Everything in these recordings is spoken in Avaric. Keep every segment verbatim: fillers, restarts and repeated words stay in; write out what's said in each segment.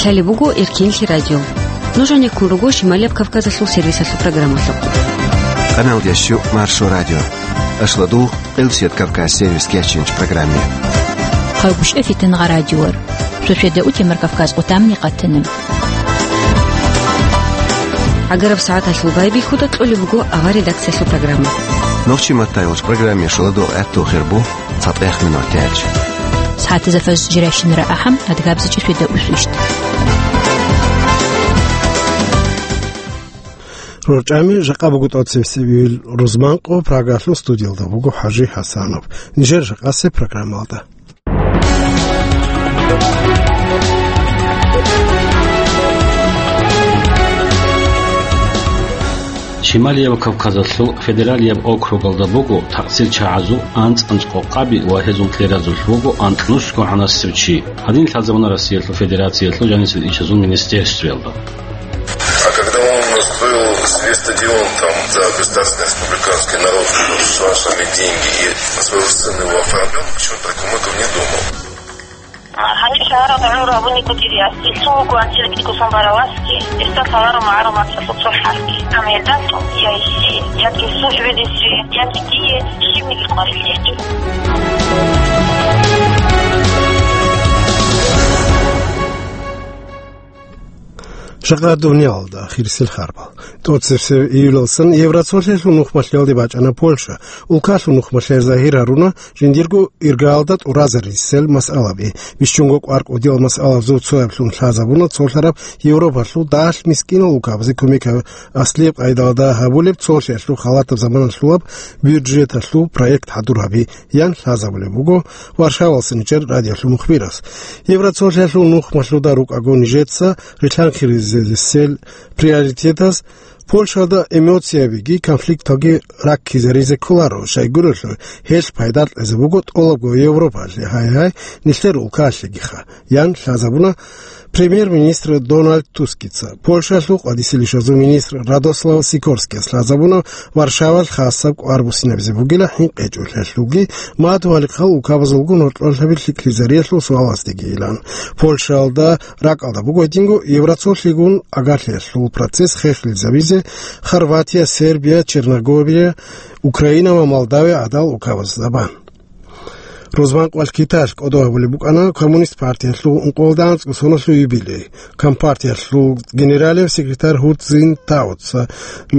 Лъалеб буго Эркинлъи радио. Нуж гьанеккун руго Шималияб Кавказалъул сервисалъул программалъухъ. Къаналдящу Маршо радио. Ашладул Къилсият Кавказ сервис кечинч программе. Хъалгушев Фитангъа радиор. Сосведа утемар Кавказ къутамни къатана. ГӀагараб сагӀаталъул байбихьуда кьолеб буго авар редакциялъул программа. Нохчи маттайолч программе шуладо гӀатту хирбу цатӀех минут тяч. СагӀатазафаз жиращинара ахӀам адгабзичӀи сосведа усвищт. РорчӀами жакъа буго тӀоцебесеб июль рузманкъо, Прагалъул студиялда буго ХӀажи ХӀасанов. Нижер жакъасеб программалда. Шималияб Кавказалъул федералияб округалда буго такъсир чагӀазул анцӀ-анцӀ къокъаби ва гьезул кьеразулъ вуго анкьнусго гӀанасев чи. Гьадин лъазабуна Россиялъул Федерациялъул жанисел ишазул министерствоялда. А когда он строил себе стадион там за государственный республиканский народ, нашими деньги, и своего сына его оформил, почему-то документов не думал. А, гьаниб шагьаралда гӀумру гьабуниго дириас, ил цо вуго ациликӀго сон бараласги, гьесда лъаларо магӀарул мацӀалъул цо хӀарп. Амма гьелда цо я гьесие, яги Сухьбедисе, яги дие щибниги къварилъеги. Жакъа дуниялалда ахирисел харбал. ТӀоцебесеб июлалсан Евроцолъиялъул нухмалъиялде бачӀана Польша. Улкалъул нухмалъиялъ загьир гьаруна жиндирго иргаялда тӀуразарисел масъалаби. Бищунго кӀвар кӀудиял масъалабазул цояблъун лъазабуна цолъараб Европалъул дагьалъ мискинал улкабазе кумек гьаб-, аслияб къайдалда гьабулеб цолъиялъул халатаб заманалъулаб бюджеталъул проект хӀадур гьаби, ян лъазабулеб буго Варшавалъа нижер радиолъул мухбирас. Евроцолъиялъул нухмалъуда рукӀаго нижеца рилъанхъизарисел приоритетаз Польшалда эмоциябиги конфликталги раккизаризе кколаро, щайгурелъул гьелъ пайда кьезе буго тӀолабго Европалъе, гьай-гьай, нилъер улкалъегиха, ян лъазабуна премьер-министр Дональд Тускица. Польшалъул къватӀисел ишазул министр Радослав Сикорскияс лъазабуна Варшавалъ хасаб кӀвар буссинабизе бугила хӀинкъичӀолъиялъулги, мад валихъал улкабазулгун гьоркьорлъаби лъикӀлъизариялъул суалаздегийилан. Польшалда ракӀалда буго гьединго Евроцолъигун агарлъиялъул процесс хехлъизабизе Хорватия, Сербия, Черногория, Украина ва Молдавия гӀадал улкабазда бан. Рузманкъвалъ Китаялъ кӀодо гьабулеб букӀана Коммунист партиялъул ункъоялда анцӀго соналъул юбилей. Компартиялъул генералияб секретарь Ху Цзиньтаоца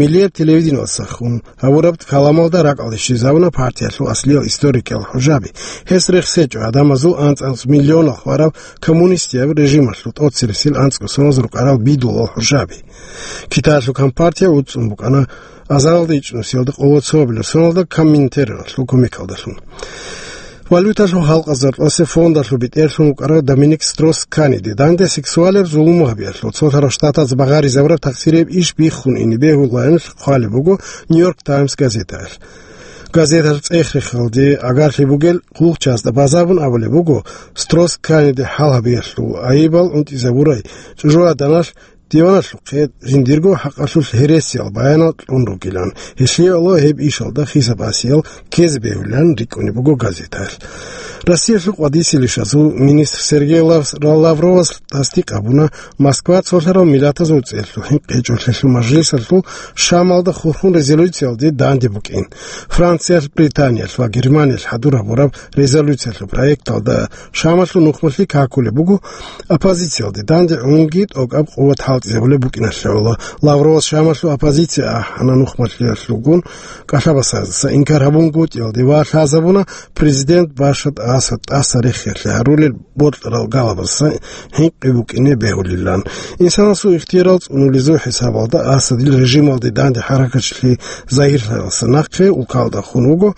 миллияб телевидениялдасахун гьабураб каламалда ракӀалде щвезабуна партиялъул аслиял историкиял хӀужаби. Гьес рехсечӀо гӀадамазул анцӀ-анцӀ миллионал хвараб коммунистияб режималъул тӀоцересел анцӀго соналъ рукӀарал бидулал хӀужаби. Китаялъул компартия уцӀцӀун букӀана азаралда ичӀнусиялда къоло цо гьабилеб соналда Коминтерналъул кумекалдалъун. Валюталъул халкъазул рокьосе фондалъул бетӀерлъун вукӀарав Доминик Строс-Каниде данде сексуалияб зулму гьабиялъул цолъарав штатаз багъаризабураб такъсирияб иш биххун ине бегьулаанилъ хъвалеб буго Нью-Йорк Таймс газетаялъ. Газеталъ цӀех-рехалде агарлъи бугел хъулухъчазда базабун абулеб буго, Строс-Каниде хӀал гьабиялъул айибал унтӀизабурай чӀужугӀаданалъ диваналъухъе жиндирго хӀакъалъулъ гьересиял баянал кьун ругилан, гьелъие гӀоло гьеб ишалда хисаб-гӀасиял ккезе бегьулилан рикӀкӀунеб буго газетаялъ. Россиялъул къватӀисел ишазул министр Сергей Лав-, Лавровас тасдикъ гьабуна Москва цолъарал миллатазул цӀерлъул хӀинкъичӀолъиялъул мажлисалъул Шамалда хурхун резолюциялде данде букӀин. Франциялъ, Британиялъ ва Германиялъ хӀадур гьабураб резолюциялъул проекталда Шамалъул нухмалъи какулеб буго, оппозициялде данде гӀунги тӀокӀаб къуват хӀалтӀизабулеб букӀиналъе гӀоло. Лавровас Шамалъул оппозиция ахӀана нухмалъиялъулгун кӀалъабасаздаса инкар гьабунгутӀиялде ва лъазабуна президент Башар Асад тӀаса рехиялъе гьарулел бокьарал галабаздаса хӀинкъи букӀине бегьулилан. Инсанасул ихтиярал цӀунулезул хӀисабалда Асадил режималде данде хӀаракатлъи загьирлъаралдаса нахъе улкалда хун вуго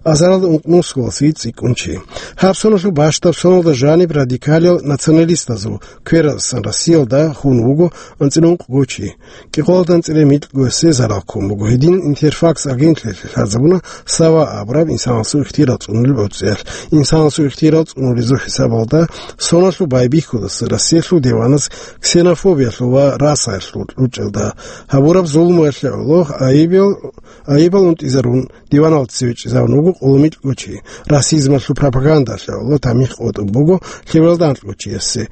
азаралда ункънусгоялдаса цӀикӀкӀун чи. Гьаб соналъул бащдаб соналда жаниб радикалиял националистазул квераздасан Россиялда хун вуго анцӀила ункъго чи. КӀикъоялда анцӀила микьгоясе зарал ккун буго. Гьедин Интерфакс агенталъе лъазабуна Сава абураб инсанасул ихтиярал цӀунулеб гӀуцӀиялъ. Инсанасул ихтиярал цӀунулезул хӀисабалда соналъул байбихьудаса Россиялъул диваназ ксенофобиялъул ва расаялъул кьучӀалда гьабураб зулмуялъе гӀоло айибал, айибал унтӀизарун диваналда цеве чӀезавун вуго къулумилъго чи, расизмалъул пропагандалъе гӀоло тамихӀ къотӀун буго лъебалда анкьго чиясе.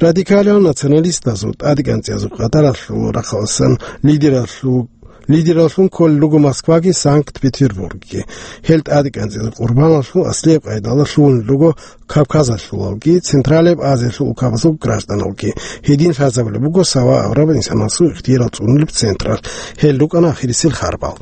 Радикалиял националистазул тӀадегӀанцӀиязул къадаралъул рахъаласан лидералъул, лидераллъун кколел руго Москваги Санкт-Петербургги. Гьел тӀадегӀанцӀиязул къурбаналъул аслияб къайдалда лъугьунел руго Кавказалъулалги, Централияб Азиялъул улкабазул гражданалги. Гьедин лъазабулеб буго Сава абураб инсанасул ихтиярал цӀунулеб централъ. Гьел рукӀана ахирисел харбал.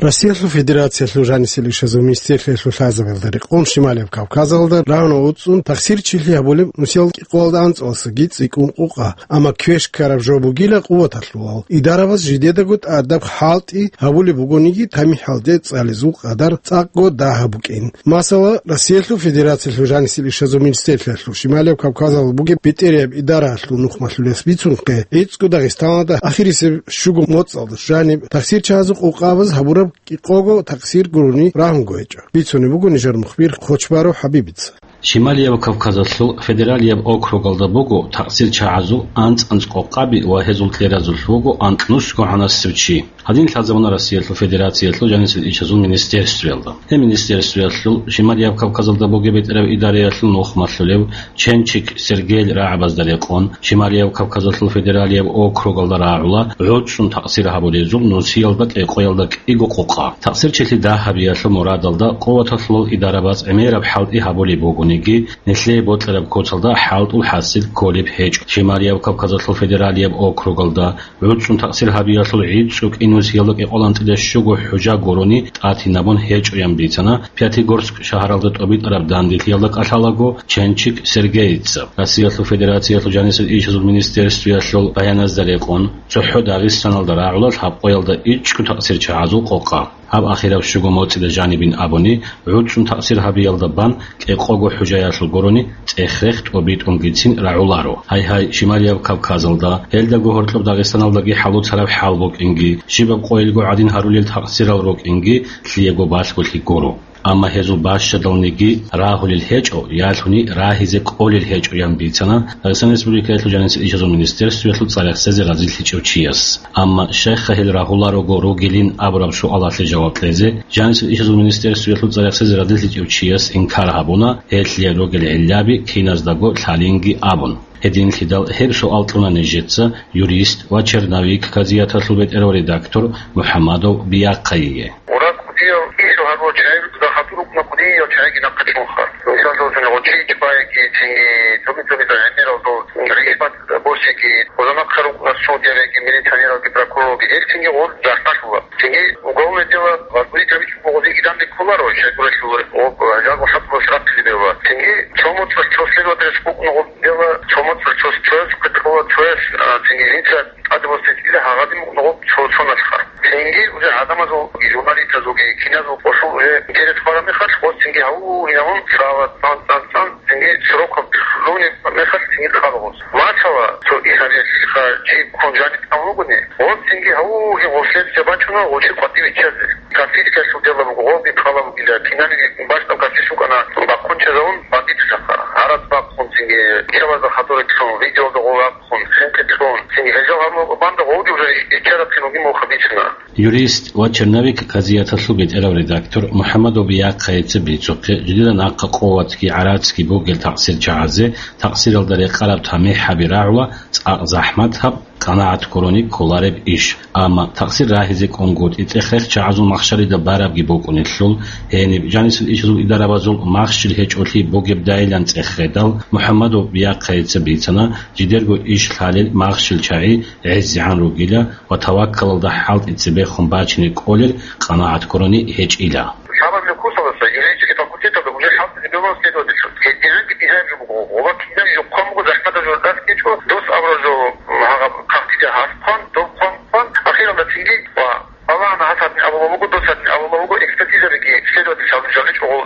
Россиялъул Федерациялъул жанисел ишазул министрлъиялъул лъазабиялда рекъон Шималияб Кавказалда рагьуна уцӀцӀун тахсирчилъи гьабулеб нусиялда кӀикъоялда анцӀаласаги цӀикӀкӀун къукъа, амма квеш ккараб жо бугила къуваталъулал. Идарабаз жидедаго тӀадаб хӀалтӀи гьабулеб бугониги, тамихӀалде цӀализул къадар цӀакъго дагьаб букӀин. Масала, Россиялъул Федерациялъул жанисел ишазул министрлъиялъул Шималияб Кавказалда бугеб бетӀерияб идараялъул нухмалъулес бицунхъе, гӀицӀго Дагъистаналда ахирисеб щуго моцӀалда жаниб тахсирчагьазул къукъабаз гьабураб кӀикъого тахсир гурони рагьунго гьечӀо. Бицунеб буго нижер мухбир Хъочбару ХӀабибица. Шималияб Кавказалъул федералияб округалда буго тахсирчагьазул анцӀ-анцӀ къукъаби ва гьезул кьеразулъ вуго анкьнусго гӀанасев чи. Гьадин лъазабуна Россиялъул Федерациялъул жанисел ишазул министерствоялда. Гьеб министерствоялъул Шималияб Кавказалда бугеб бетӀераб идараялъул нухмалъулев Ченчик Сергейил рагӀабазда рекъон, Шималияб Кавказалъул федералияб округалда рагӀула гӀуцӀцӀун тахсир гьабулезул нусиялда кӀикъоялда кӀиго къукъа. Тахсирчилъи дагьабиялъул мурадалда къуваталъулал идарабаз гӀемераб хӀалтӀи гьабулеб бугониги, нилъее бокьараб куцалда хӀалтӀул хӀасил кколеб гьечӀо. Шималияб Кавказалъул федералияб округалда гӀуцӀцӀун тахсир гьабиялъул гӀицӀго кӀинусиялда кӀикъоялда анцӀила щуго хӀужа гурони тӀатинабун гьечӀоян бицана Пятигорск шагьаралда тӀобитӀараб данделъиялда кӀалъалаго Ченчик Сергейица. Россиялъул Федерациялъул жанисел ишазул министерствоялъул баяназда рекъон, цохӀо Дагъистаналда рагӀула лъабкъоялда ичӀго тахсирчагьазул къукъа. Гьаб ахираб щуго моцӀида жанибин абуни, гӀуцӀцӀун тахсир гьабиялда бан кӀикъого хӀужаялъул гурони цӀех-рех тӀобитӀунгицин рагӀуларо. Гьай-гьай, Шималияб Кавказалда, гьелдаго гьоркьоб Дагъистаналдаги хӀалуцараб хӀал букӀинги, щибаб къойилго гӀадин гьарулел тахсирал рукӀинги лъиего балъголъи гуро. Амма гьезул бащадалниги рагьулел гьечӀо, ялъуни рагьизе кӀолел гьечӀоян бицана Дагъистан Республикаялъул жанисел ишазул министерствоялъул цӀарахсезе разилъичӀев чияс. Амма щайха гьел рагьуларого ругилин абураб суалалъе жаваб кьезе, жанисел ишазул министерствоялъул цӀарахсезе разилъичӀев чияс инкар гьабуна, гьелъие ругел гӀиллаби киназдаго лъалинги абун. Гьединлъидал гьеб суал кьуна нижеца юрист ва черновик казияталъул бетӀерав редактор МухӀаммадов Биахъайие. Мурад кӀудияв ишо гьарурал чагӀи рукӀда хатур рукӀуна кӀудияв чагӀиги нахъе чӀунха. Мисаллъун, гъочи чӀваеги, цинги цоги-цогидал гӀемералдал рихьбат босиги, гъоза нахъа рукӀуна судьяреги, милиционералги, прокуроралги, гьел цинги гъоз захӀмалъула. Цинги уголовное дело возбудить гьабичӀого гъозиги данде кколаро, щайгурелъул гъоб жагьлу хӀакъалъулъ рахъине бегьула. Цинги цо моцӀалъ цо следователас букӀуна гъоб дело, цо моцӀалъ цо, цояс хъитӀула, цояс, а, цинги жинца тӀаде босизе кӀила гьагъадин букӀуна гъоб цо-цоналъха. Цинги уже гӀадамазул, журналистазулги, киназул къосул уже интерес хвараб мехалъ, гъоз цинги гьаву-гьавун цӀала, цӀан-цӀан-цӀан, цинги сроков лъугьунеб мехалъ цинги хъала гъоз. Масала, цо Исариялъилха чи ккун жаниб тӀамун вугони, гъоз цинги гьаву-гьавун гъорлъезе бачӀуна гъочи къватӀиве чӀезе. Кафирскиялъул дело буго, гъолги хъала бугила, киналги бащдаб кафирщ вукӀана, бахъун чӀезавун бандитасухъа. Гьараз бахъун цинги, кӀелазда хадур итлъун, видеолда гъов хъун, хинкъи кьун, цинги гьелжал гьабун банда гъовги уже иччараб киналги муха бицина. Юрист ва черновик казияталъул бетӀерав редактор МухӀаммадов Биахъайица бицухъе, жидеда нахъа къуватги гӀарацги бугел тахсирчагьазе тахсиралда рекъараб тамихӀаби рагӀула цӀакъ захӀматаб, къанагӀат гурони кколареб иш. Амма тахсир рагьизе кӀунгутӀи цӀех-рех чагӀазул махщалида барабги букӀунелъул, гьениб жанисел ишазул идарабазул махщел гьечӀолъи бугебдайилан цӀех гъедал, МухӀаммадов Биахъайица бицана, жидерго иш лъалел махщел чагӀи гӀезегӀан ругила ва таваккалалда хӀалтӀи цебехун бачине кӀолел къанагӀат гурони гьечӀила. Шабаб Лукусаласа юридический факультеталда уже хӀалтӀизе бегьула следовательлъун. ГьедигӀанги дигьаяб жо буго, гъоба кинаб жо хъван буго, захӀматаб жо дас гьечӀо, дос абураб жо, гьаб, хъахъида гьас хъван, дов хъван, хъван, ахиралда цинги ва Аллагьана гьас гьадин абула вуго, дос гьадин абула вуго, экспертизабиги следовательлъи гьабун жаничӀого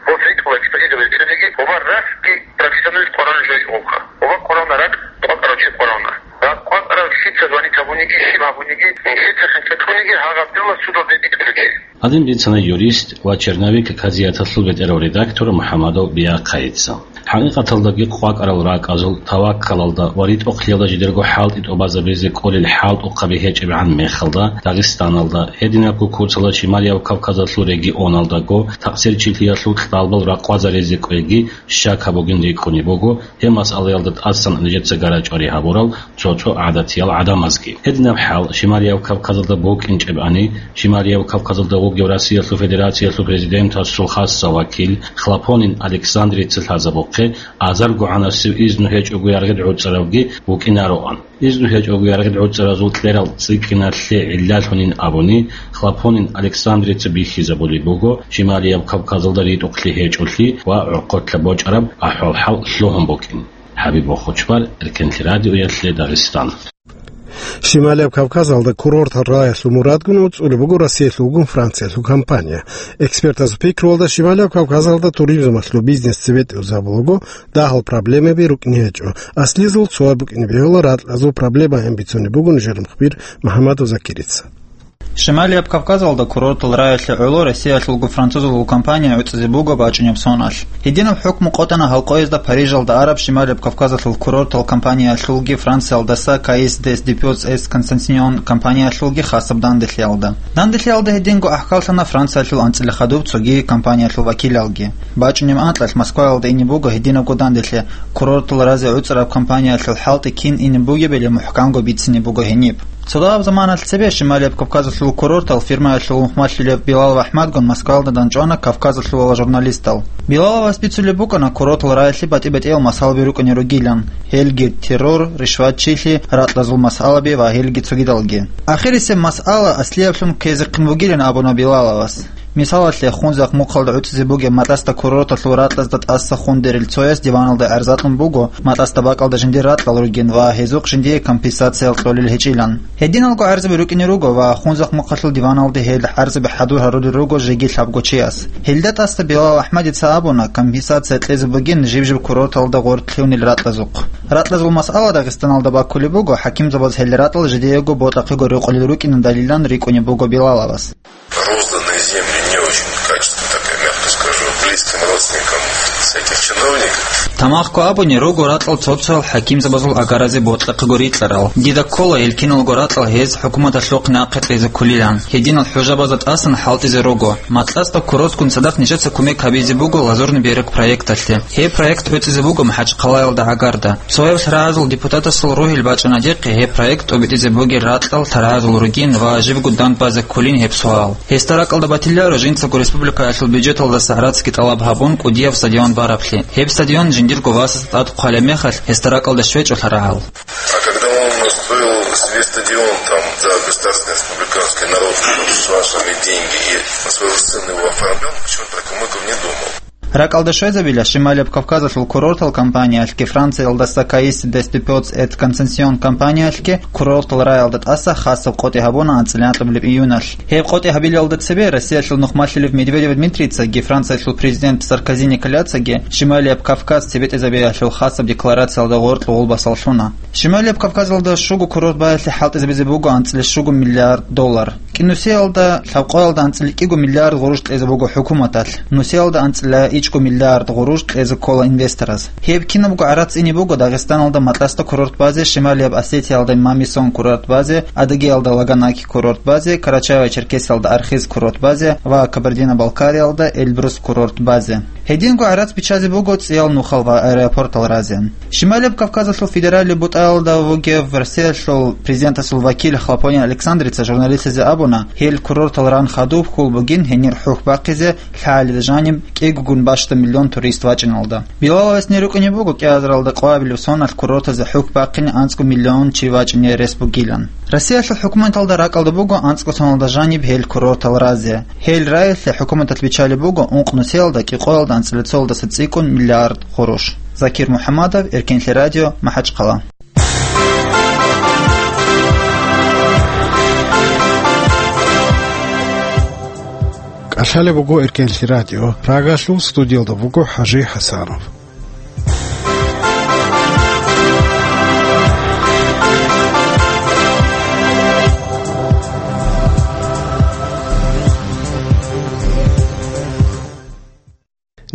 гъос ритӀула экспертизаби цебеги, гъоба расги профессионалист къварана жо ичӀогъулха. Гъоба къварана ракӀ къвакӀарав чи къварана. РакӀ къвакӀарав лъица звонить гьабуниги, щиб гьабуниги, лъица хӀинкъи кьуниги, гьагъаб дело судалде битӀулев чи. Гьадин бицана юрист ва черновик казияталъул бетӀерав редактор МухӀаммадов Биахъайица. ХӀакъикъаталдаги къвакӀарал ракӀазул таваккалалда ва ритӀухълъиялда жидерго хӀалтӀи тӀубазабизе кӀолел хӀалтӀухъаби гьечӀебгӀан мехалда, Дагъистаналда, гьединабго куцалда Шималияб Кавказалъул регионалдаго такъсирчилъиялъул кьалбал ракъвазаризе кӀвеги щакаб бугин рикӀкӀунеб буго, гьеб масъалаялда тӀасан нижеца гарачӀвари гьабурал цо-цо гӀадатиял гӀадамазги. Гьединаб хӀал Шималияб Кавказалда букӀинчӀебани, Шималияб Кавказалда вугев Россиялъул Федерациялъул Президентасул хасса вакил Хлопонин Александрица лъазабухъе азарго гӀанасев изну гьечӀого яргъид гӀуцӀаравги вукӀинароан. Изну гьечӀого яргъид гӀуцӀаразул кьерал цӀикӀкӀиналъе гӀиллалъунин абуни, Хлопонин Александрица бихьизабулеб буго Шималияб Кавказалда ритӀухълъи гьечӀолъи ва гӀорхъолъа бочӀараб ахӀвал-хӀал лъугьун букӀин. ХӀабиб Бохочбар, Эркенлъи радиоялъе, Дагъистан. Шималияб Кавказалда курортал раялъул мурадгун уцӀулеб буго Россиялъулгун Франциялъул компания. Экспертазул пикруялда, Шималияб Кавказалда туризмалъул бизнес цебетӀезабулаго дагьал проблемаби рукӀине гьечӀо. Аслизул цояб букӀине бегьула ракьазул проблемаян бицунеб буго нижер мухбир МухӀаммадов Закирица. Шималияб Кавказалда курортал раялъе гӀоло Россиялъулго французулгун компания гӀуцӀизе буго бачӀунеб соналъ. Гьединаб хӀукму къотӀана гьал къоязда Парижалда араб Шималияб Кавказалъул курортал компаниялъулги Франциялдаса Caisse des Dépôts et Consignations компаниялъулги хасаб данделъиялда. Данделъиялда гьединго ахӀкаллъана Франциялъул анцӀила хадуб цоги компаниялъул вакилалги. БачӀунеб анкьалъ Москваялда ине буго гьединабго данделъи, курортал разе гӀуцӀараб компаниялъул хӀалтӀи кин ине бугебали мухӀканго бицине буго гьениб. Цо дагьаб заманалъ цебе Шималияб Кавказалъул курортал фирмаялъул мухӀмаллъулев Билалов АхӀмадгун Москваялда данчӀвана Кавказалъувала журналистал. Билаловас бицулеб букӀана курортал раялъе батӀи-батӀиял масъалаби рукӀине ругилан. Гьелги террор, ришватчилъи, ракьазул масъалаби ва гьелги цогидалги. Ахирисеб масъала аслияблъун ккезехъин бугилан абуна Билаловас. Мисалалъе, Хунзахъ-Мухъалда гӀуцӀизе бугеб Матасда курорталъул ракьазда тӀаса хундерил цояс диваналда гӀарза кьун буго, Матасда бакӀалда жиндир ракьал ругин ва гьезухъ жиндие компенсация кьолел гьечӀилан. Гьединалго гӀарзаби рукӀине руго ва Хунзахъ-Мухъалъул диваналде гьел гӀарзаби хӀадур гьарулел руго жеги лъабго чияс. Гьелда тӀаса Билал АхӀмадица абуна, компенсация кьезе бугин жиб-жиб курорталда гъоркь лъугьунел ракьазухъ. Ракьазул масъала Дагъистаналда баккулеб буго, хӀакимзабаз гьел ракьал жидеего ботӀахъего рекъолел рукӀинан далилан рикӀкӀунеб буго Билаловас. Розданные земли не очень качественно, так я мягко скажу, близким родственникам всяких чиновников. Тамагъго абуни, руго ракьал цо-цоял хӀакимзабазул агаразе ботӀахъего рикьарал. Дида ккола, гьел киналго ракьал гьез хӀукуматалъухъ нахъе кьезе кколилан. Гьединал хӀужабазда тӀасан хӀалтӀизе руго. Матасда курортгун цадахъ нижеца кумек гьабизе буго Лазурный берег проекталъе. Гьеб проект гӀуцӀизе буго МахӀачхъалаялда гӀагарда. Цояб лъарагӀазул депутатасул ругьел бачӀана дихъе гьеб проект тӀобитӀизе бугел ракьал лъарагӀазул ругин ва жибго данд базе кколин гьеб суал. Гьесда ракӀалда батиларо жинцаго республикаялъул бюджеталдаса гӀарацги тӀалаб гьабун кӀудияб стадион бараблъи. Гьеб стадион жиндирго васасда тӀад хъвалеб мехалъ гьесда ракӀалда щвечӀо лъарагӀал. А когда он строил себе стадион там за государственные республиканские народные, с вашими деньги и на своего сына его оформлял, почему про Кумыков не думал? РакӀалда щвезабила, Шималияб Кавказалъул курортал компаниялъги Франциялдаса Caisse des Dépôts et Consignations компаниялъги курортал раялда тӀаса хасаб къотӀи гьабуна анцӀила анкьабилеб июналъ. Гьеб къотӀи гьабилалда цебе Россиялъул нухмалъулев Медведев Дмитрийцаги Франциялъул президент Саркози Николяцаги Шималияб Кавказ цебетӀезабиялъул хасаб декларациялда гъоркь гъулбасал лъуна. Шималияб Кавказалда щуго курорт баялъе хӀалтӀизабизе буго анцӀила щуго миллиард доллар. КӀинусиялда лъабкъоялда анцӀила кӀиго миллиард гъурущ кьезе буго хӀукуматалъ, нусиялда анцӀила ичӀго миллиард гъурущ кьезе ккола инвестораз. Гьеб кинабго гӀарац ине буго Дагъистаналда Матасда курорт базе, Шималияб Осетиялда Мамисон курорт базе, Адыгеялда Лаганаки курорт базе, Карачаево-Черкесиялда Архыз курорт базе ва Кабардино-Балкариялда Эльбрус курорт базе. Гьединго гӀарац биччазе буго цӀиял нухал ва аэропортал разе. Шималияб Кавказалъул федералияб бутӀаялда вугев Россиялъул президентасул вакил Хлопонин Александрица журналистлъизе абуна, гьел курортал ран хадуб хьул бугин гьенир хӀухь бахъизе лъагӀалида жаниб кӀигогун бащда миллион турист вачӀиналда. Билаловас нир рукӀине буго кӀиазаралда къоабилеб соналъ курортазе хӀухь бахъине анцӀго миллион чи вачӀине рес бугилан. Россиялъул хӀукуматалда ракӀалда буго анцӀго соналда жаниб гьел курортал разе. Гьел раялъе хӀукуматалъ биччалеб буго ункънусиялда кӀикъоялда анцӀила цоялдаса цӀикӀкӀун миллиард гъурущ. Закир МухӀаммадов, Эркенлъи радио, МахӀачхъала. КӀалъалеб буго Эркенлъи радио. Прагалъул студиялда буго ХӀажи ХӀасанов.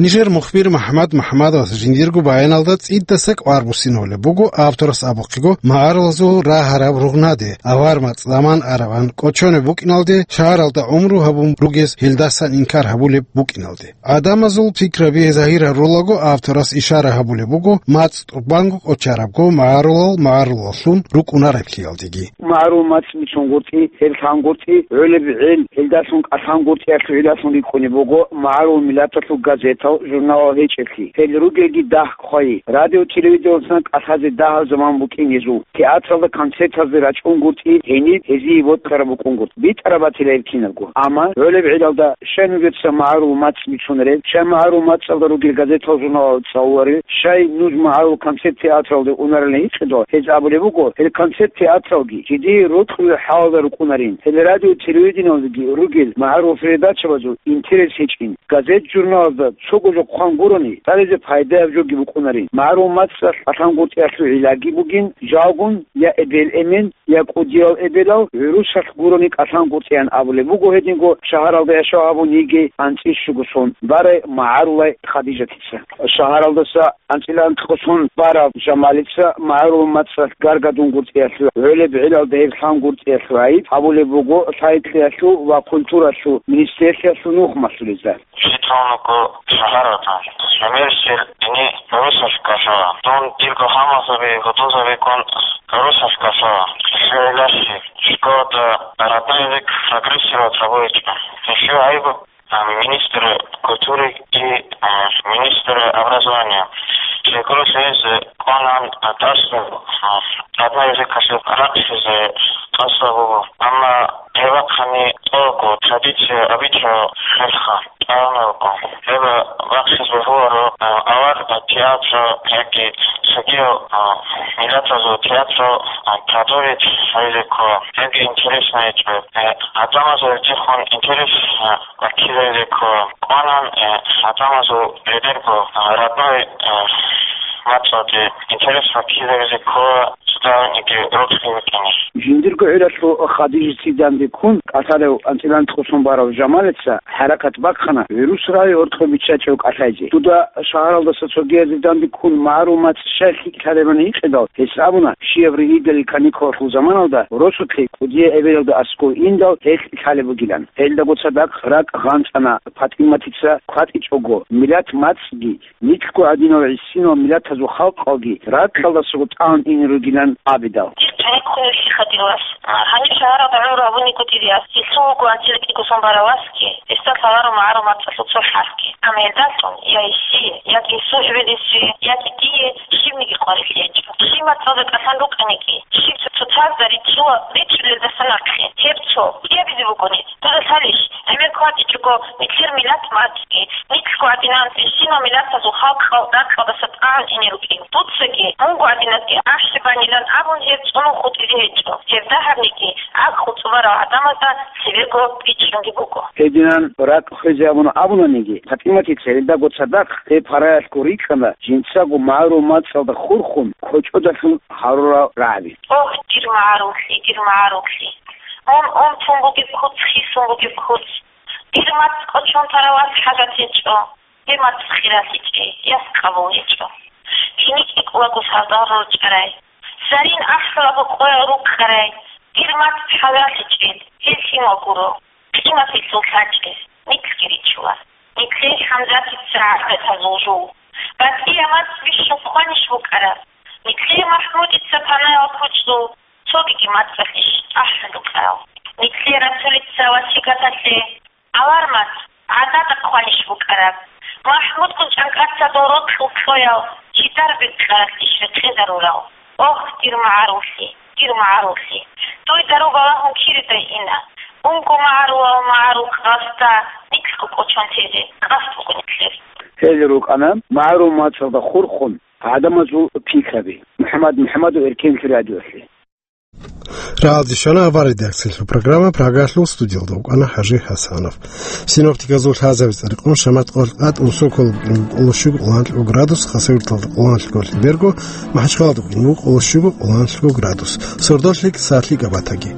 Нижер мухбир МахӀмад МахӀмадовас жиндирго баяналда цӀидаса кӀвар буссинавулеб буго авторас абухъего магӀарулазул рагьараб ругънаде, авар мацӀ заман араван кӀочонеб букӀиналде, шагьаралда гӀумру гьабун ругез гьелдасан инкар гьабулеб букӀиналде. ГӀадамазул пикраби загьир гьарулаго авторас ишара гьабулеб буго, мацӀ тӀубанго кӀочарабго магӀарулал магӀарулаллъун рукӀунареблъиялдеги. МагӀарул мацӀ бицунгутӀи, гьеб лъангутӀи, гӀолеб гӀел, гьелдалъун кӀалъангутӀиялъул гӀилалъун рикӀкӀунеб буго магӀарул миллаталъул газетал, журналал гьечӀеблъи. Гьел ругелги дагь хъвайи. Радио-телевидениялдасан кӀалъазе дагьаб заман букӀин гьезул. Театралда концертазде рачӀунгутӀи, гьениб гьезие бокьараб букӀунгутӀи. БитӀараб батила гьеб кинабго. Амма гӀолеб гӀелалда щай нужеца магӀарул мацӀ бицунарел, щай магӀарул мацӀалда ругел газетал-журналал цӀалуларел, щай нуж магӀарул концерт-театралде унарилан гьикъидал, гьез абулеб буго, гьел концерт-театралги жидее рокьулел хӀалалда рукӀунарин, гьел радио-телевидениялдеги ругел магӀарул передачабазул интерес гьечӀин, газет-журналазда цого жо хъван гурони, цӀализе пайдаяб жоги букӀунарин. МагӀарул мацӀалъ кӀалъангутӀиялъул гӀиллаги бугин, жалгун я эбел-эмен, я кӀудиял эбелал гӀурусалъ гурони кӀалъангутӀиан абулеб буго гьединго шагьаралда яшав гьабун йигей анцӀила щуго сон барай магӀарулай Хадижатица. Шагьаралдаса анцӀила анкьго сон барав Жамалица магӀарул мацӀалъ гаргадунгутӀиялъул, гӀолеб гӀелалда гьеб лъангутӀиялъул гӀайиб гьабулеб буго лъай-лъиялъул ва культуралъул министрлъиялъул нух малъулезда. Житомирго шагьаралда гӀемерисел дини гӀурусалъ кӀалъала. Дун дирго гьамалзаби гьудулзабиккун гӀурусалъ кӀалъала. Лъилалъе школада родной язык прогрессировать гьабуличӀо. Нилъее гьайго, а, министр культуры и, а, министр образования. Жекъурулъе гьез кӀванан, а, тӀасалъув, а, родной языкалъе рахъизе тӀасалъув буго. Амма гьеб бахъани тӀокӀго традиция, обычай хӀалха тӀамилго. Гьеб бахъизе бегьуларо, а, авар, а, театр яги цогиял, а, миллатазул театр, а, продолжить гьабизе ккола. Гьебги интересно гьечӀо. Э, гӀадамазул гьеб интерес, а, баккизабизе ккола. КӀванан, э, гӀадамазул бедерго, а, родной, э, мацӀалде интерес баккизабизе ккола цоцаздаги рокьи букӀине. Жиндирго гӀуралъул Хадижатида данде ккун кӀалъалев анцӀила анкьго сон барав Жамалица хӀаракат бахъана гӀурус рагӀи гьоркьоб биччачӀев кӀалъайзе. Дуда шагьаралдаса цогиязде данде ккун магӀарул мацӀ щай лъикӀ лъалебани гьикъидал, гьес абуна, щияб ригьидалил каникулалъул заманалда росулъе кӀудияй эбелалда аскӀов индал гьелъ лъалеб бугилан. Гьелдаго цадахъ ракӀ гъанцӀана ПатӀиматица кватӀичӀого, миллат мацӀги, нилъго гӀадинал гӀисинал миллатазул халкъалги ракьалдасаго тӀагӀун ине ругилан абидал. Дир тӀарихъ хъулухъиха, дир вас. Гьаниб шагьаралда гӀумру гьабунигутӀи диас, гьелъул вуго анцӀила кӀиго сон барав васги, гьесда лъаларо магӀарул мацӀалъул цо хӀарпги. Амма гьелдалъун я гьесие, яги гьесул эбел-инсуе, яги дие щибниги къварилъи гьечӀо. Щиб мацӀалда кӀалъан рукӀаниги, щиб цо-, цоцазда ричӀчӀула, ричӀчӀулелдаса нахъе, гьеб цо кӀиабизе бугони, дуда лъалищ, гӀемер кватӀичӀого, нилъер миллат мацӀги, нилъго гӀадинал гӀисинал миллатазул халкъал ракьалдаса тӀагӀун ине рукӀин. Дуцаги, мунго гӀадиназги ахӀи банилан абун гьеб цӀунун хутӀизе гьечӀо. Гьеб дагьабниги, гӀакълу цӀубарал гӀадамазда цебего бичӀчӀунги буго. Гьединан ракӀ хвезе абуна абунаниги, ПатӀиматица гьелдаго цадахъ гьеб параялъго рикӀкӀана жинцаго магӀарул мацӀалда хурхун кочӀодалъун гьарурал рагӀаби. Ох, дир магӀаруллъи, дир магӀаруллъи! Мун унтун бугеб куц, хисун бугеб куц! Дир мацӀ кӀочон тарав вас хӀажат гьечӀо, гьеб мацӀ хиралъичӀей, яс къабул гьечӀо. Гьениб кӀикӀулаго сардал рорчӀарай, зарин ахӀулаго къоял руккарай, дир мацӀ хӀалаллъичӀел, гьел лъимал гуро, къиматилъул лъачӀел, нилъги ричӀчӀула. Нилъее ХӀамзатица гӀадатазул жул, батӀияб мацӀ бищун ккванищ букӀараб? Нилъее МахӀмудица панаял кучӀдул цогиги мацӀалъищ тӀахӀун рукӀарал? Нилъее Расулица васигаталъе авар мацӀ гӀадада хъванищ букӀараб? МахӀмудгун чӀанкӀаца дол рокьул кьоял чидар бикьаралъищ рекъезарурал? Ох, дир магӀаруллъи, дир магӀаруллъи! Дуй дару балагьун киридай ина. Унго магӀарулал магӀарул къасда нилъго кӀочон тезе къасд буго нилъер. Гьел рукӀана магӀарул мацӀалда хурхун гӀадамазул пикраби. МухӀаммад МухӀаммадов, Эркенлъи радиолъе. Рагьалде щвана авар редакциялъул программа, Прагалъул студиялда вукӀана ХӀажи ХӀасанов. Синоптиказул лъазабица рекъон шамат къолкъад унсоколаб кӀоло щуго къоло гьанлъго градус, Хасавюрталда къоло гьанлъго лъилберго, МахӀачхъалада къоло щуго къоло гьанлъго градус. Сордолъи сахлъи габатаги.